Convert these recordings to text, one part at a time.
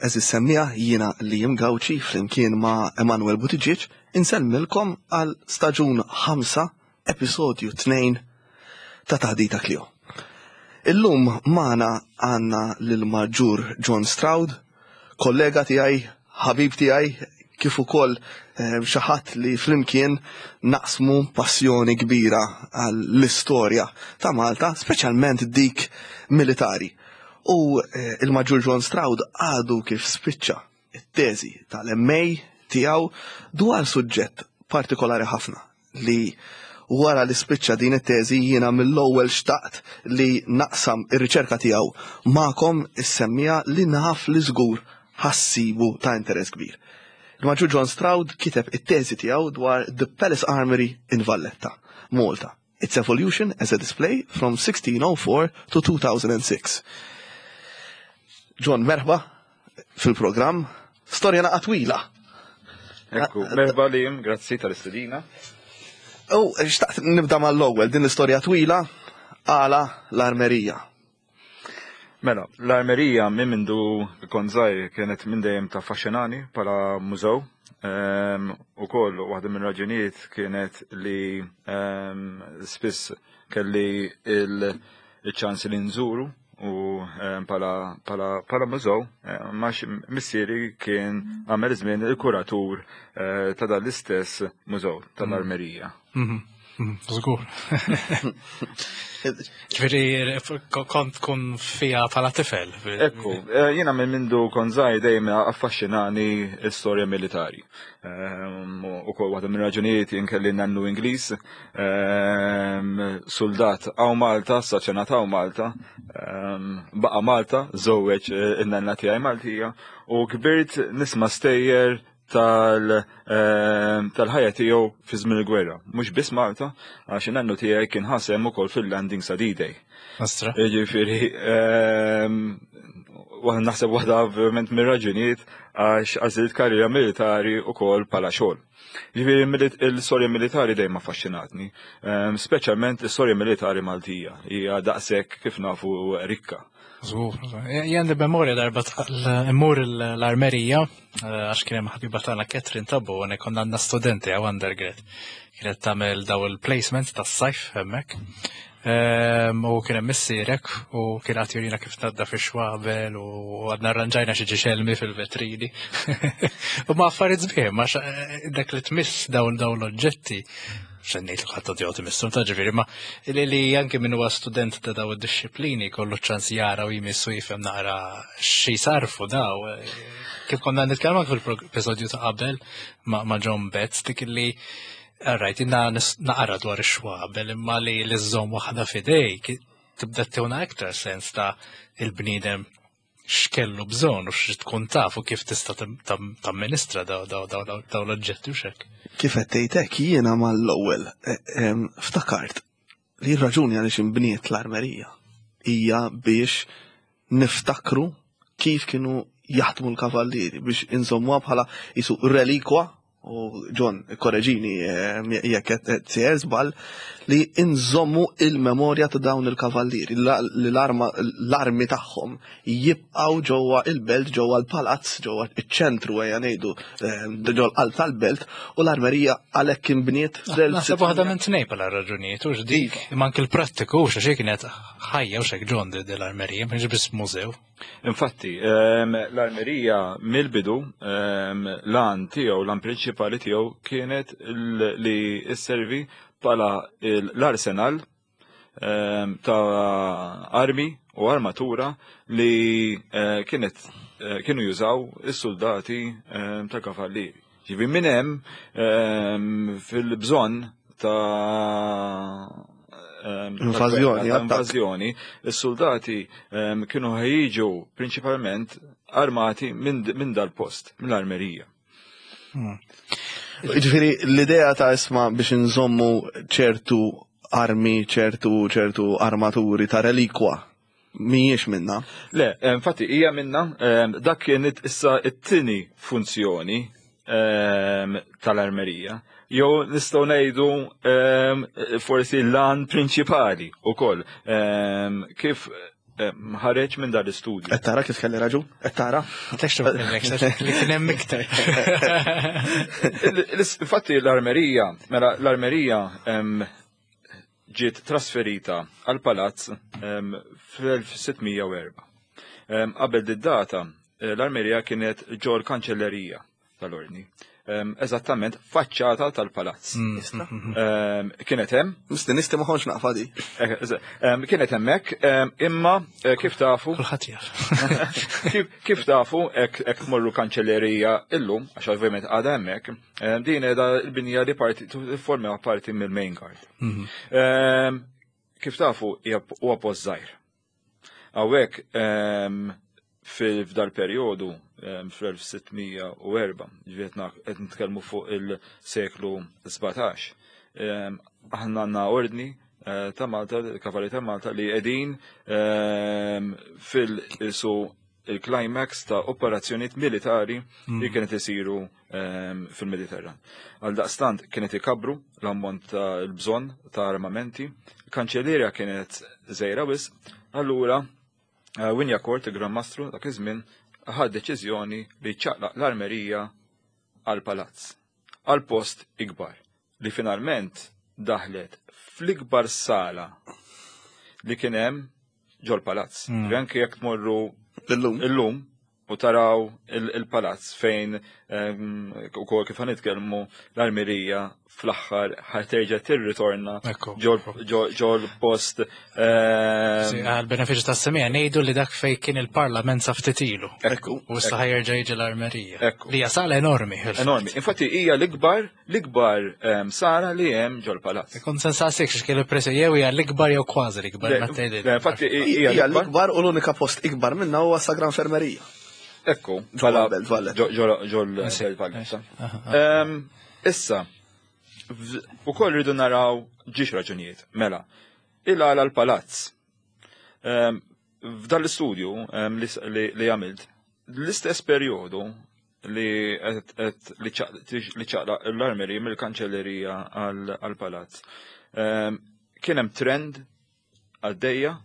Għeżież semmiegħa, jiena Liam Gauci flimkien ma' Emanuel Buttigieg insellmilkom għal staġun 5, episodju 2 ta' Taħdita Clio. Illum magħna għandna lil Maġġur John Stroud, kollega tiegħi, ħabib tiegħi, kif ukoll eh, xi ħadd li flimkien naqsmu passjoni kbira għall-istorja ta' Malta, speċjalment dik militari. U eh, il-Maġġur John Stroud għadu kif spiċċa it-teżi tal-MA tiegħu dwar suġġett partikolari ħafna li wara li spiċċa din it-teżi jiena mill-ewwel xtaqt li naqsam ir-riċerka tiegħu magħkom is-semmija li naf li żgur ħassibu ta' interess kbir. Il-Maġġur John Stroud kiteb it-teżi tiegħu dwar The Palace Armory in Valletta, Malta. Its evolution as a display from 1604 to 2006. John, merħba fil-programm. Storja naqa twila. Ekku, merħba li grazzi tal-istedina. U, xtaqt nibda mal-ewwel din l-istorja twila għala l-armerija. Mela, l-armerija minn mindu kont żgħir kienet minn dejjem taffaxxinani bħala mużew. Ehm, u koll waħda minn raġunijiet kienet li ehm, spiss kelli il-ċans li nżuru u ehm, pala mużew, għax missieri kien għamel żmien il-kuratur eh, ta' dan l-istess mużew tal-armerija. Mhm. Żgur. Ġifieri kont tkun fija bħala tifel. Ekku, eh, jiena minn mindu kont żgħir dejjem affaxxinani l-istorja militari. Ehm, u kol waħda minn raġunijiet jien kelli nannu Ingliż, ehm, soldat għaw Malta, saċenat għaw Malta, ehm, baqa Malta, żewweġ eh, in-nanna tiegħi Maltija u kbirt nisma' stejjer Ehm, tal-ħajja tiegħu fi żmien il-gwerra. Mhux biss Malta, għax in-nannu tiegħi kien ħasem ukoll fil-landing sa D-Day. Astra. Jiġifieri, ehm, naħseb waħda ovvjament mir-raġunijiet għax għażilt karriera militari ukoll bħala xogħol. Ġifieri l-istorja militari dejjem affaxxinatni, ehm, speċjalment l-istorja militari Maltija hija daqshekk kif nafu rikka. Żgur, jien li memorja darba immur l-armerija eh, għax kien hemm ħabiba tagħna Catherine Tabbo għane konna għandna studenti għaw undergrad. Kienet tagħmel daw il-placements tas-sajf hemmhekk. Ehm, u kien hemm missierek u kien qed jurina kif tnadda fi xwabel u għadna arranġajna xi ġixelmi fil-vetrini. U ma affarijiet sbieħ, ma eh, dak li tmiss dawn dawn l-oġġetti xennejt li ħadd jgħod imissu ta' ġifieri, ma li li anke min huwa student ta' daw id-disciplini kollu ċans jara u jmissu jifhem naqra xi sarfu daw. Kif konna nitkellmu fil-episodju ta' qabel ma' John Betts dik li Rajt, inna naqra dwar ix-xwabel imma li l-żomm waħda fidejk tibda tewna iktar sens ta' il-bniedem x'kellu bżonn u x'trid tkun taf u kif tista' tamministra daw l-oġġetti u x'hekk. Kif qed tgħid hekk jiena mal-ewwel eh, ftakart li r-raġuni għaliex inbniet l-armerija hija biex niftakru kif kienu jaħdmu l-kavallieri biex inżommuha bħala jisu relikwa u John, korreġini eh, jekk qed sejjer żball, li nżommu il-memorja ta' dawn il-kavallieri, li l-armi tagħhom jibqgħu ġewwa il-belt, ġewwa l-palazz, ġewwa iċ-ċentru ejja ngħidu, eh, ġewwa l-qalb tal-belt, u l-armerija għalhekk inbniet fl Naħseb waħda minn tnej bħala raġunijiet, u dik, imma anke l-prattiku, xi kienet ħajja u xek ġon l-armerija, mhux biss mużew. Infatti, ehm, l-armerija mill-bidu ehm, l-għan tiegħu, l-għan prinċipali tiegħu kienet li sservi bħala l-arsenal ehm, ta' armi u armatura li eh, kienet eh, kienu jużaw is-soldati ta' kavallieri. Ġifi minn hemm ehm, fil-bżonn ta' ehm, invażjoni, invażjoni, is-soldati ehm, kienu ħejġu prinċipalment armati minn dal-post, mill-armerija. Hmm. Ġifieri l-idea ta' isma biex nżommu ċertu armi, ċertu ċertu armaturi ta' relikwa Mhijiex minna. Le, eh, infatti hija minna, eh, dak kienet issa it-tieni funzjoni eh, tal-armerija. Jew nistgħu ngħidu forsi l-lan prinċipali ukoll kif ħareġ minn dan l-istudju. Qed tara kif kelli raġun? Qed tara? Li kien hemm iktar. Infatti l-armerija, mela l-armerija ġiet trasferita għal palazz fl-1604. Qabel did-data, l-armerija kienet ġol kanċellerija tal-ordni. Eżattament faċċata tal-palazz. Kienet hemm. Misti nisti ma kontx naqfa di. Kienet hemmhekk, imma eh, kif tafu. Kulħadd jaf. Kif tafu hekk tmorru kanċellerija illum, għax ovvjament għadha hemmhekk, din qiegħda l-binja li parti forma parti mill-main guard. Mhm. Kif tafu huwa post żgħir. Hawnhekk f'dal perjodu fl-1604, ġifieri qed nitkellmu fuq il-seklu 17, aħna għandna ordni eh, ta' Malta, il-Kavalli ta' Malta li qegħdin fil-isu il-climax ta' operazzjonijiet militari li kienet isiru fil-Mediterran. Għal daqstant kienet ikabru l-ammont ta' l-bżonn ta' armamenti, kanċellerja kienet żgħira wisq, allura eh, Wignacourt, il-Gran Mastru dak iż-żmien, ħad deċiżjoni li ċaqlaq l-armerija għal palazz, għal post ikbar, li finalment daħlet fl-ikbar sala li kien hemm ġol palazz. Anke jekk tmorru Illum. illum u taraw il-palazz fejn ukoll kif ħanitkellmu l-armerija fl-aħħar ħaterġa' tirritorna ġol post. Għal benefiċċju tas-semija ngħidu li dak fejn kien il-Parlament sa ftit ilu. Ekku. U issa ħajerġa' jiġi l-armerija. Li hija sala enormi. Enormi. Infatti hija l-ikbar l-ikbar sala li hemm ġol palazz. Kont se nsaqsik x'kien il-presi jew hija l-ikbar jew kważi l-ikbar. Infatti hija l-ikbar u l-unika post ikbar minna huwa sa Gran Fermerija. Ekku, ġol ġol Belt Issa, u koll rridu naraw ġiex raġunijiet. Mela, il-għala l-palazz. F'dan l-istudju li għamilt, l-istess perjodu li li ċaqla l-armeri mill-kanċellerija għal-palazz. Kien hemm trend għaddejja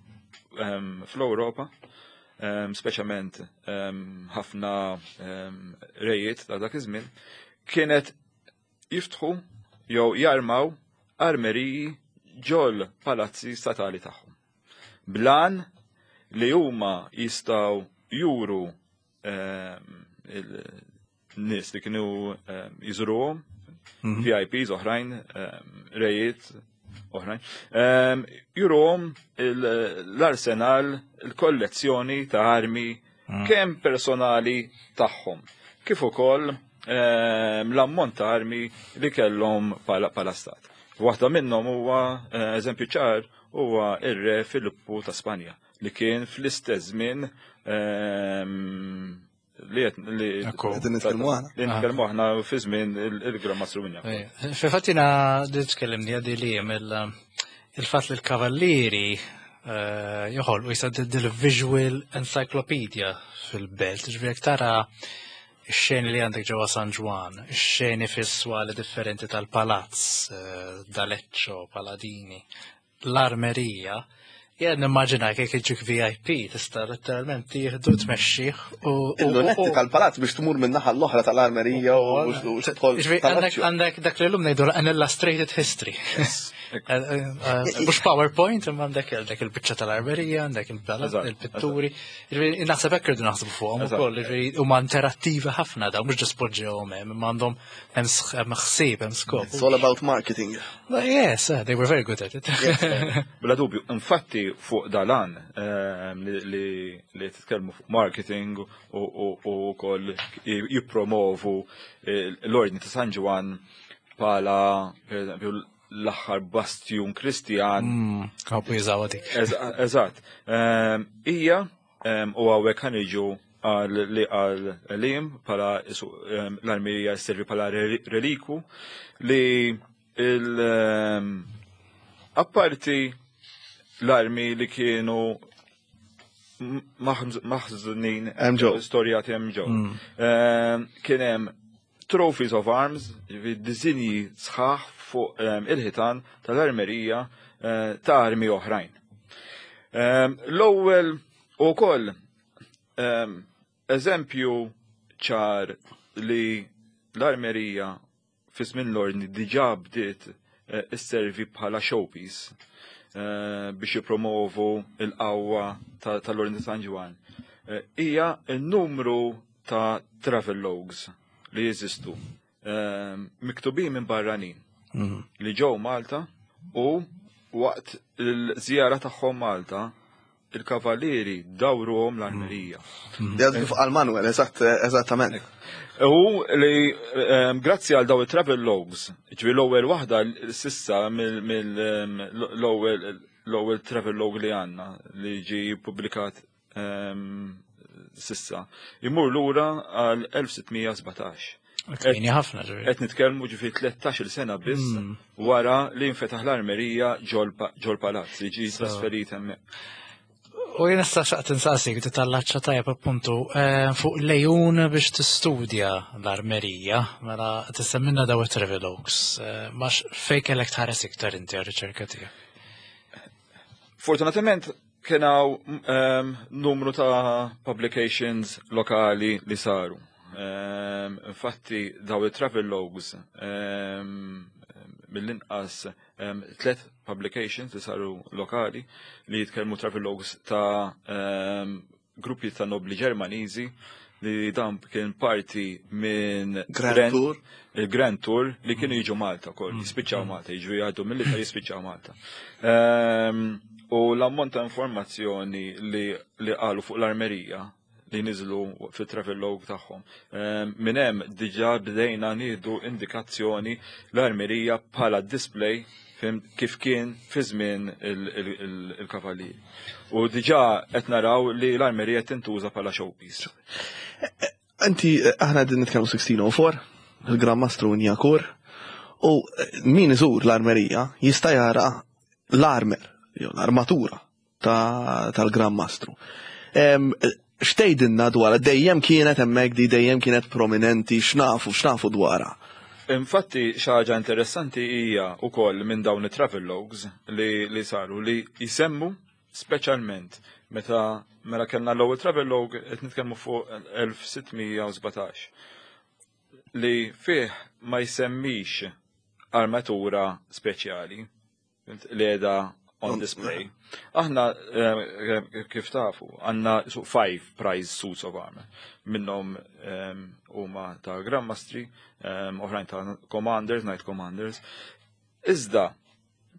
fl-Ewropa, speċjalment ħafna rejiet ta' dak iż-żmien, kienet jiftħu jew jarmaw armeriji ġol palazzi statali tagħhom. Blan li huma jistgħu juru il-nies li kienu jiżuruhom, VIPs oħrajn, rejiet oħrajn, juruhom l-arsenal, il-kollezzjoni ta' armi kemm personali tagħhom, kif ukoll l-ammont ta' armi li kellhom pala stat. Waħda minnhom huwa eh, eżempju ċar huwa ir-re Filippu ta' Spanja li kien fl-istess żmien li li Qegħdin nitkellmu aħna. Li nitkellmu aħna fi żmien il-Gran Mastru Wignacourt. Fil-fatt jiena li tkellimni għadi li il-fatt li l-kavallieri eh, joħolqu jisa dil-visual encyclopedia fil-belt, ġifieri tara ix-xeni li għandek ġewwa San Ġwann, ix-xeni fis-swali differenti tal-palazz, eh, D'Aleccio, Paladini, l-armerija, jien nimmaġina kif iġik VIP tista' letteralment tieħdu tmexxih u Il-lunetti tal-palazz biex tmur minn naħa l-oħra tal-armerija u tidħol. Ġifieri, Għandek dak li l-lum ngħidu an illustrated history. Mhux PowerPoint, imma għandek għandek il-biċċa tal-armerija, għandek il-palazz, il-pitturi. Ġifieri, Naħseb hekk irridu naħsbu fuqhom ukoll, ġifieri, huma interattivi ħafna daw, mhux ġust poġġewhom hemm, imma għandhom hemm ħsieb, hemm skop. It's all about marketing. Well, yes, they were very good at it. Bla dubju, infatti fuq dalan li titkellmu fuq marketing u wkoll jippromovu l-Ordni ta' San Ġwann bħala per eżempju l-aħħar bastjun Kristjan. Għabu jużaw dik. Eżatt. Ija u hawnhekk ħa niġu għal li għal lim pala l-armija servi pala reliku li il apparti l-armi li kienu maħżunin Hemm ġew. storjati hemm ġew. Kien hemm trophies of arms, ġifieri disinji sħaħ fuq il-ħitan tal-armerija ta' armi oħrajn. L-ewwel ukoll eżempju ċar li l-armerija fi żmien l-ordni diġà bdiet isservi bħala showpiece biex jippromovu l-qawwa tal-Ordni ta' San Ġwann hija n-numru ta' travelogues li jeżistu miktubin minn barranin li ġew Malta u waqt il-żjara tagħhom Malta il-kavalieri dawruhom l-armerija. Għad kif qal Manuel, eżatt, eżattament. U li grazzi għal daw il-travel logs, ġifieri l-ewwel waħda sissa mill-ewwel l-ewwel travel log li għandna li ġi publikat sissa, imur lura għal 1617. Kmieni ħafna ġifieri. Qed nitkellmu ġifieri 13-il sena biss wara li nfetaħ l-armerija ġol palazz li ġi trasferit hemmhekk. U jien issa xaqt insaqsik titallaċċa tajjeb appuntu fuq lejun biex tistudja l-armerija, mela tissemminna daw it-travelogues, ma fej kellek tħares iktar inti għar-riċerka tiegħek? Fortunatament kien hawn numru ta' publications lokali li saru. Infatti daw il-travel logs mill-inqas tlet publications li saru lokali li jitkellmu travel logs ta' gruppi ta' nobli Ġermaniżi li dan kien parti minn Grand Tour. Il-Grand Tour li kienu jiġu Malta kol, jispiċċaw Malta, jiġu jgħaddu mill-Italja jispiċċaw Malta. U l-ammont ta' informazzjoni li qalu fuq l-armerija li niżlu fit-travel log tagħhom. Minn hemm diġà bdejna nieħdu indikazzjoni l-armerija bħala display kif kien fi żmien il-kavallieri. U diġà qed naraw li l-armerija tintuża bħala showpiece. Inti, aħna din nitkellmu 1604, il-Gran Mastru Wignacourt, u min iżur l-armerija jista' jara l-armer, jew l-armatura tal-Gran Mastru. X'tgħidilna dwar dejjem kienet hemmhekk di dejjem kienet prominenti, x'nafu dwarha? Infatti, xi ħaġa interessanti hija wkoll minn dawn it-travel logs li saru li jisemmu speċjalment meta mela kellna l-ewwel travel log qed nitkellmu fuq 1617 li fih ma jsemmix armatura speċjali li qiegħda on display. Aħna kif tafu, għandna five prize suits of armor. Minnhom huma ta' Grandmastri, oħrajn ta' Commanders, Knight Commanders. Iżda,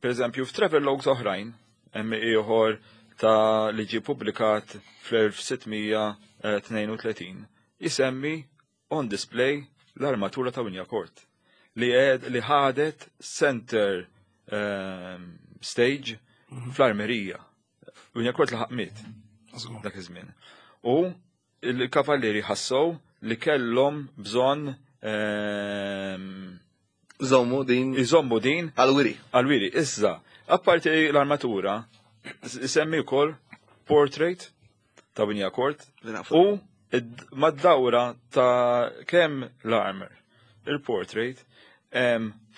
per eżempju, f'travel logs oħrajn, hemm ieħor ta' li ġie publikat fl-1632, jisemmi on display l-armatura ta' Wignacourt li ħadet center stage fl-armerija. Wignacourt laħaq miet dak iż-żmien. U il-kavallieri ħassow li kellhom bżonn Iżommu din. Iżommu din. Għal-wiri. Għal-wiri. Issa, apparti l-armatura, semmi wkoll portrait ta' Wignacourt u mad-dawra ta' kemm l-armor, il-portrait,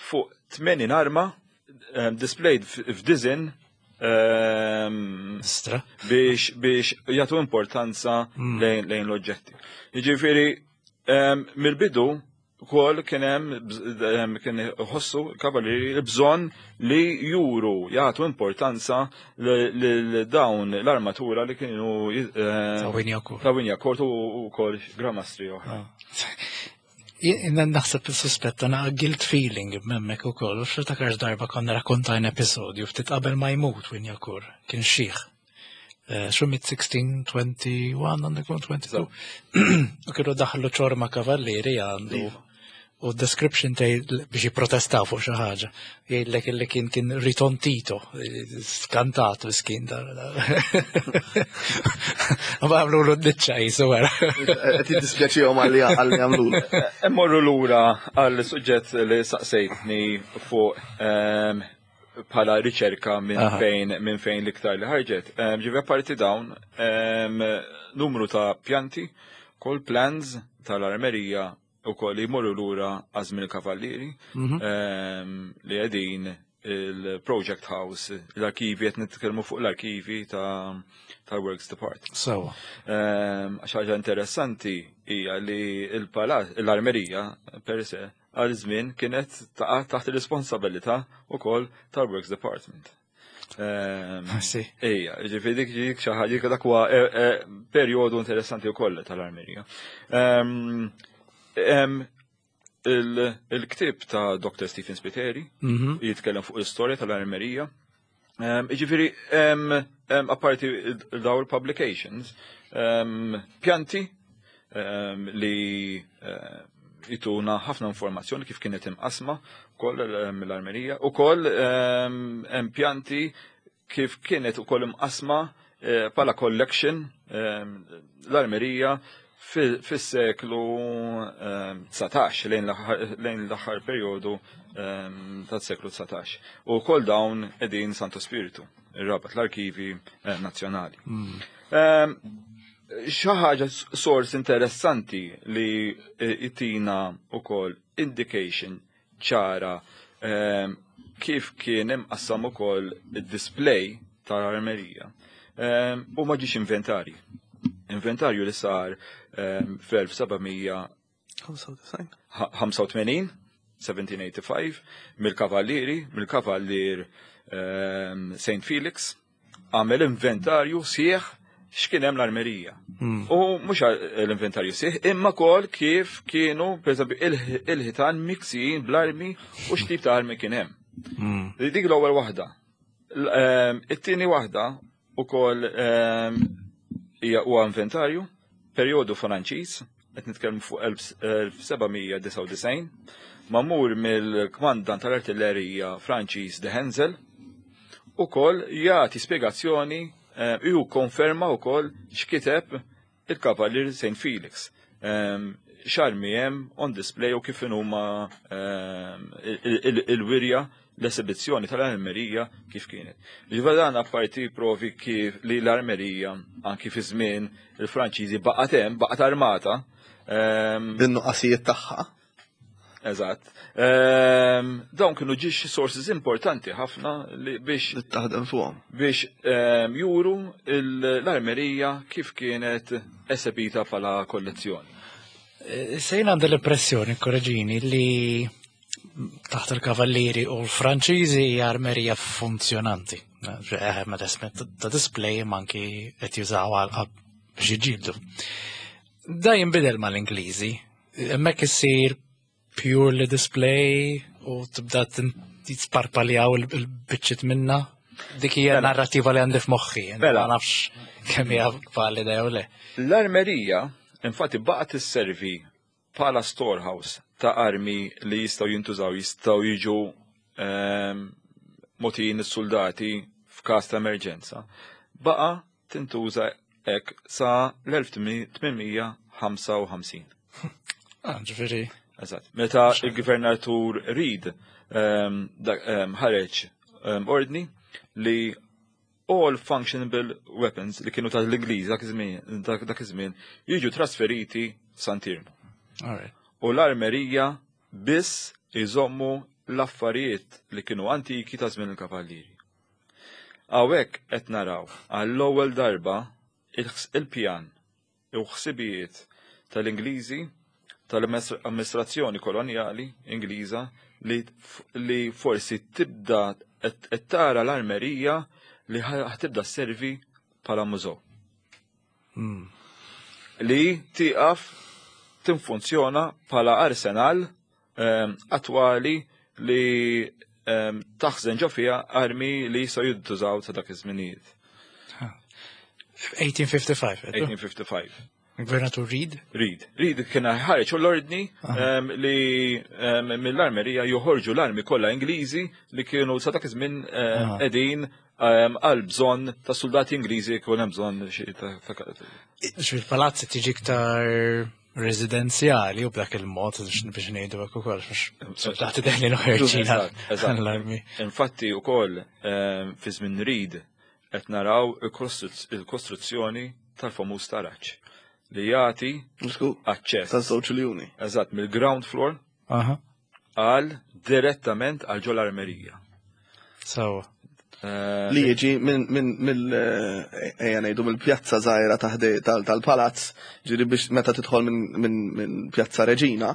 fuq 80 arma displayed f'design Stra. biex jagħtu importanza lejn l-oġġetti. Jiġifieri mill-bidu kol kien hemm kien ħossu kavallieri bżonn li juru jagħtu importanza lil dawn l-armatura li kienu Ta' Wignacourt. Ta' Wignacourt u kol Gramastri oħra. Jien naħseb il-suspetta na guilt feeling b'memmek u koll, u x'takarx darba konna rakkontajn episodju ftit qabel ma jmut Wignacourt, kien xiħ. Xu mit 1621, għandu jkun 22. U kienu daħlu ċorma kavallieri għandu. U description tej biex jipprotestaw fuq xi ħaġa. Jgħidlek illi kien ritontito, skantat miskin da. Ma għamlu l-dicċa jisu għara. Qed jiddispjaċihom għalli għamlu. Immorru lura għal suġġett li saqsejtni fuq bħala riċerka minn fejn l-iktar li ħarġet. Ġifieri apparti dawn, numru ta' pjanti, kol plans tal-armerija u koll li jmorru lura għażmin il-kavallieri li qegħdin il-Project House, l-arkivi, qed nitkellmu fuq l-arkivi ta' tal-Works Department. Sewa. Għax ħaġa interessanti hija li l-palazz, l-armerija per se, għal żmien kienet taqa' taħt ir-responsabilità wkoll tal-Works Department. Ejja, ġifieri dik dik xi ħaġa dak huwa eh, eh, perjodu interessanti wkoll tal-armerija. Il-ktieb ta' Dr. Stephen Spiteri jitkellem fuq l-istorja tal-armerija. Ġifieri, apparti daw il-publications, pjanti li eh, jituna ħafna informazzjoni kif kienet imqasma koll l-armerija u koll hemm pjanti kif kienet ukoll imqasma eh, pala collection l-armerija fis-seklu 19 lejn l-aħħar perjodu tas-seklu 19. U wkoll dawn qegħdin Santo Spiritu, ir-Rabat l-Arkivi eh, Nazzjonali. Xi ħaġa sors interessanti li jtina wkoll indication ċara kif kien imqassam ukoll id-display tal-armerija u ma ġiex inventarji. Inventarju li sar fl-1785, 1785, mill-kavallieri, mill-kavallier St. Felix, għamel inventarju sieħ x'kien hemm l-armerija. U mhux l-inventarju sieħ, imma kol kif kienu, pereżempju, il-ħitan miksijin bl-armi u x'tip ta' armi kien hemm. Dik l-ewwel waħda. It-tieni waħda ukoll hija huwa inventarju, perjodu Franċiż, qed nitkellmu fuq 1799, mamur mill-kmandant tal-artillerija Franċiż de Henzel, ukoll jagħti spjegazzjoni eh, ju konferma wkoll x'kiteb il-Kavallier St. Felix. Xarmi hemm on display u kif huma il-wirja l-esibizzjoni tal-armerija kif kienet. Ġifieri dan apparti provi kif li l-armerija anki fi żmien il-Franċiżi baqgħet hemm, baqgħet armata. Bin-nuqqasijiet tagħha. Eżatt. Dawn kienu ġiex sources importanti ħafna li biex li taħdem fuqhom. Biex juru l-armerija kif kienet esebita bħala kollezzjoni. Eh, Sejn għandi l-impressjoni, korreġini, li taħt il-kavallieri u l-Franċiżi hija armerija funzjonanti. Eh, ma ta' display manki qed jużaw għal biex jiġġieldu. Da jinbidel mal-Ingliżi. Hemmhekk issir purely display u tibda tisparpaljaw il-biċċiet minna. Dik hija mela. narrativa li għandi f'moħħi. Mela. Ma nafx kemm hija valida jew le. L-armerija infatti baqgħet tisservi bħala storehouse ta' armi li jistgħu jintużaw, jistgħu jiġu ehm, mogħtijin is-suldati f'każ ta' emerġenza. Baqa' tintuża hekk sa l-1855. Ah, ġifieri. Eżatt. Meta il-Gvernatur Reid ehm, ehm, ħareġ ordni li all functionable weapons li kienu tal-Ingliż dak iż-żmien jiġu trasferiti f'Santirmo. U l-armerija biss iżommu l-affarijiet li kienu antiki ta' żmien il-kavallieri. Hawnhekk qed naraw għall-ewwel darba il-pjan u ħsibijiet tal-Ingliżi tal-amministrazzjoni kolonjali Ingliża li, li forsi tibda qed tara l-armerija li ħtibda sservi bħala mużew. Li tieqaf tinfunzjona bħala arsenal ehm, attwali li ehm, taħżen ġo fiha armi li jistgħu jintużaw ta' dak iż-żminijiet. 1855. 1855. Gvernatur Reid? Reid. Reid kien ħareġ l-ordni ehm, li mill-armerija joħorġu l-armi kollha Ingliżi li kienu sa dak iż-żmien qegħdin għal bżonn ta' soldati Ingliżi jkun hemm bżonn xi ta' Fil-palazzi tiġi iktar residenzjali u b'dak il-mod biex ngħidu hekk ukoll biex soldati deħlin u ħerġin l-armi. Infatti wkoll ehm, fi żmien Reid qed naraw il-kostruzzjoni tal-famuż taraġ li jagħti aċċess. Taż-żewġ iljuni. Eżatt, mill-ground floor għal direttament għal ġol armerija. So. Eh, Li jiġi minn minn mill eh, ejja ngħidu mill-pjazza żgħira tal-palazz, ġiri biex meta tidħol minn pjazza Reġina,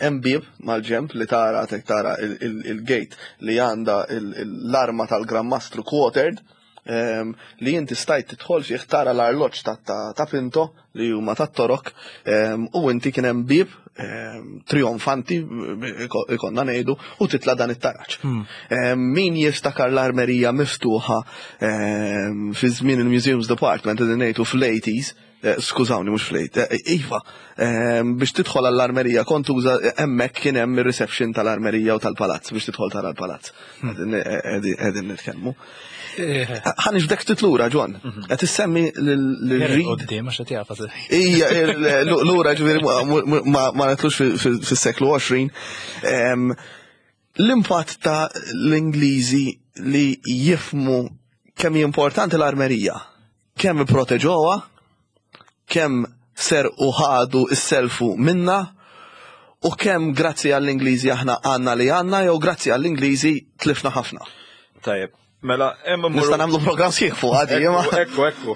hemm bieb mal-ġemp li tara tek tara il-gate li għandha l-arma tal-Gran Mastru quartered, li inti stajt tidħol fih tara l-arloġġ ta' Pinto li huma tat-Torok, u inti kien hemm bieb trionfanti ikonna ngħidu u titla' dan it-taraġ. Min jiftakar l-armerija miftuħa fi żmien il-Museums Department qegħdin ngħidu fl-80s, skużawni mhux fl-80, iva, biex tidħol għall-armerija kont tuża hemmhekk kien hemm ir-reception tal-armerija u tal-palazz biex tidħol tara l-palazz. Qegħdin nitkellmu. Ħa nġbdek ftit lura, John. Qed issemmi lil Qudiem għax qed jafas. Ija, lura ġifieri ma netlux fis-seklu 20. L-impatt ta' l-Ingliżi li jifmu kemm hi importanti l-armerija, kemm ipproteġuha, kemm serqu ħadu isselfu minna, u kemm grazzi għall-Ingliżi aħna għandna li għandna jew grazzi għall-Ingliżi tlifna ħafna. Tajjeb, mela hemm Nista' nagħmlu programm sħiħ fuq għadi, imma. Ekku, ekku.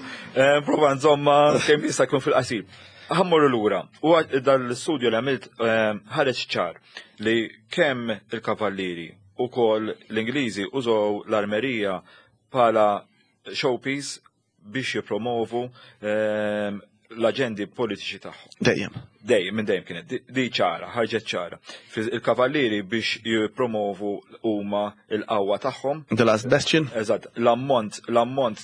Prova nżomma kemm jista' jkun fil-qasir. Ħa mmorru lura. U dal-studju li għamilt ħareġ ċar li kemm il-kavallieri u kol l-Ingliżi użaw l-armerija bħala showpiece biex jipromovu l-aġendi politiċi tagħhom. Dejjem. Dejjem, minn dejjem kienet. Di ċara, ħarġet ċara. Il-kavallieri biex jipromovu huma l-qawwa tagħhom. The Last Bastion. Eżatt, l-ammont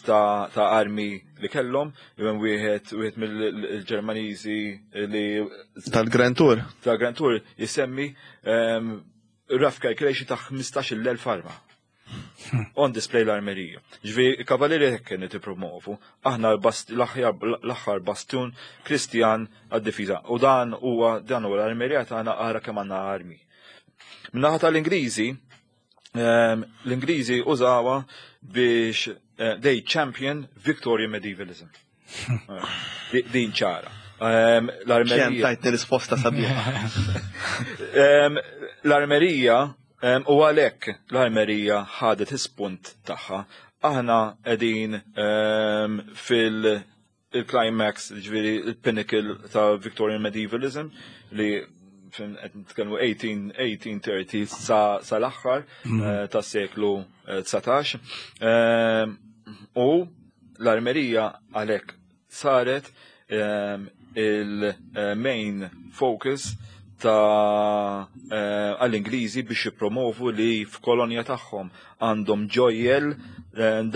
ta' armi li kellhom, minn wieħed mill-Ġermaniżi li Tal-Grand Tour. Tal-Grand Tour jisemmi rough calculation ta' 15,000 arma. On display l-armerija. Ġifieri, il-kavallieri hekk kienet ippromovu. Aħna l-aħħar bastun Kristjan għad-difiża. U dan huwa l-armerija tagħna ara kemm għandna armi. Min-naħa tal-Ingliżi, l-Ingliżi użawha biex they champion Victorian medievalism. Din ċara. L-armerija. Kem tajtni risposta sabiħa. L-armerija, u għalhekk l-armerija ħadet ispunt tagħha. Aħna qegħdin fil-climax, ġifieri il-pinnacle ta' Victorian medievalism li qed nitkellmu 1830 sa l-aħħar tas-seklu 19. U l-armerija għalhekk saret il-main focus ta' għall-Ingliżi biex jippromovu li f'kolonja tagħhom għandhom ġojjel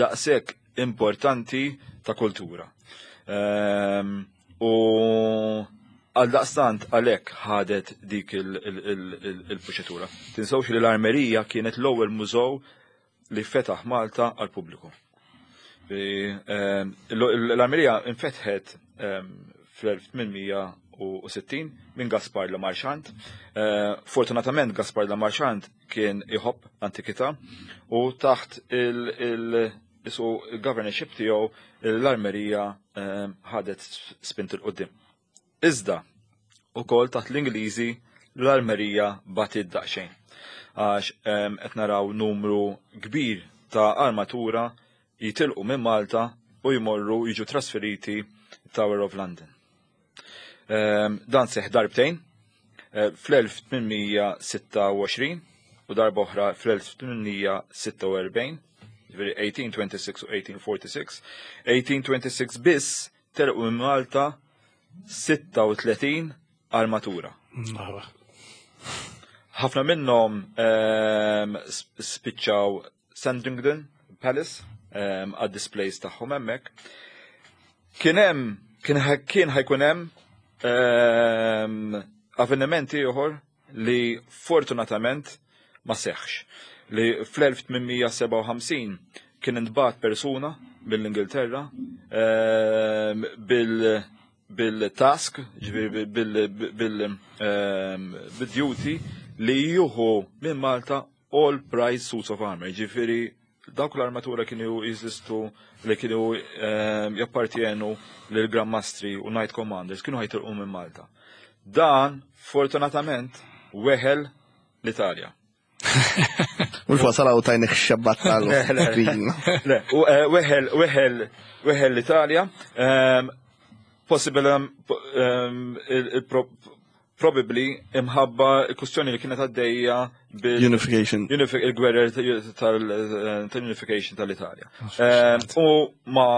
daqshekk importanti ta' kultura. U għal daqstant għalhekk ħadet dik il-proċedura. Tinsewx li l-armerija kienet l-ewwel mużew li fetaħ Malta għal pubbliku. L-armerija infetħet fl-1860 minn Gaspar Le Marchant. Fortunatament Gaspar Le Marchant kien iħobb l-antikità u taħt il-governorship tiegħu l-armerija ħadet spint il-qudiem. Iżda, ukoll taħt l-Ingliżi l-armerija batit daqsxejn. Għax qed naraw numru kbir ta' armatura jitilqu minn Malta u jmorru jiġu trasferiti Tower of London. Dan seħ darbtejn, fl-1826 u darba oħra fl-1846, ġifieri 1826 u 1846. 1826 biss telqu minn Malta 36 armatura. Ħafna minnhom spiċċaw Sandringham Palace għad displays tagħhom hemmhekk. Kien hemm, kien kien ħajkun hemm avvenimenti ieħor li fortunatament ma seħħx. Li fl-1857 kien intbagħat persuna mill-Ingilterra bil-task, ġifieri bil-duty li juhu minn Malta all prize suits of armor, ġifieri dawk l-armatura kienu jeżistu li kienu jappartienu lil Grand Mastri u Knight Commanders kienu ħajtilqu minn Malta. Dan fortunatament weħel l-Italja. Mux wasal għaw tajnek xabbat tal-screen. Le, u eh, weħel, weħel, weħel l-Italja, ehm, possible ehm, ehm, probably imħabba il-kustjoni li kienet għaddejja bil- Unification. Il-gwerra tal-unification tal-Italja. U ma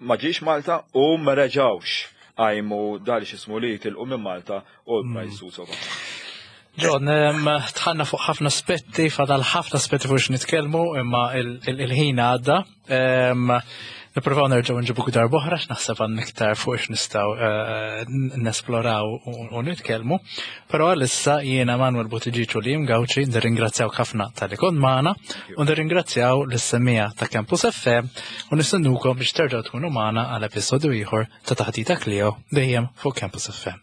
ma ġiex Malta u ma reġawx għajmu dal xismu li tilqu minn Malta u l-Price u John, tħanna fuq ħafna aspetti, fadal ħafna aspetti fuq nitkellmu, imma il-ħin għadda. Nippruvaw nerġgħu nġibu darb'oħra x'naħseb għan iktar fuq x'nistgħu eh, nesploraw u nitkellmu. Però għalissa jiena Manuel Buttigieg u Liam Gauci nirringrazzjaw ħafna tal-li kont magħna u nirringrazzjaw lis-semmija ta' Campus FM u nistennukom biex terġgħu tkunu magħna għal episodju ieħor ta' Taħdita Klio dejjem fuq Campus FM.